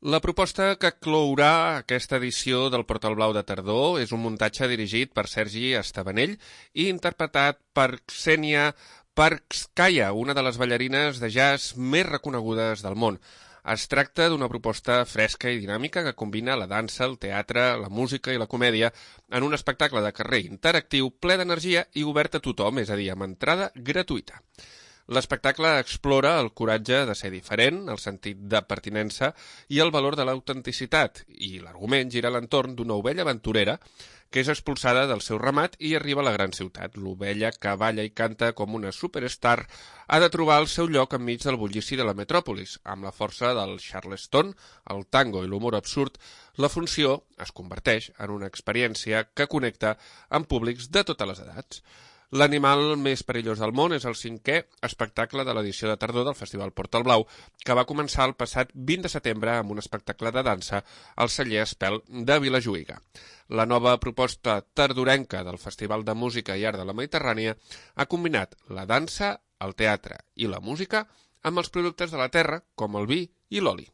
La proposta que clourà aquesta edició del Portal Blau de Tardor és un muntatge dirigit per Sergi Estabanell i interpretat per Ksenia Parkskaya, una de les ballarines de jazz més reconegudes del món. Es tracta d'una proposta fresca i dinàmica que combina la dansa, el teatre, la música i la comèdia en un espectacle de carrer interactiu ple d'energia i obert a tothom, és a dir, amb entrada gratuïta. L'espectacle explora el coratge de ser diferent, el sentit de pertinença i el valor de l'autenticitat, i l'argument gira a l'entorn d'una ovella aventurera que és expulsada del seu ramat i arriba a la gran ciutat. L'ovella, que balla i canta com una superstar, ha de trobar el seu lloc enmig del bullici de la metròpolis. Amb la força del charleston, el tango i l'humor absurd, la funció es converteix en una experiència que connecta amb públics de totes les edats. L'animal més perillós del món és el 5è espectacle de l'edició de tardor del Festival Portal Blau, que va començar el passat 20 de setembre amb un espectacle de dansa al celler Espel de Vilajuïga. La nova proposta tardorenca del Festival de Música i Art de la Mediterrània ha combinat la dansa, el teatre i la música amb els productes de la terra, com el vi i l'oli.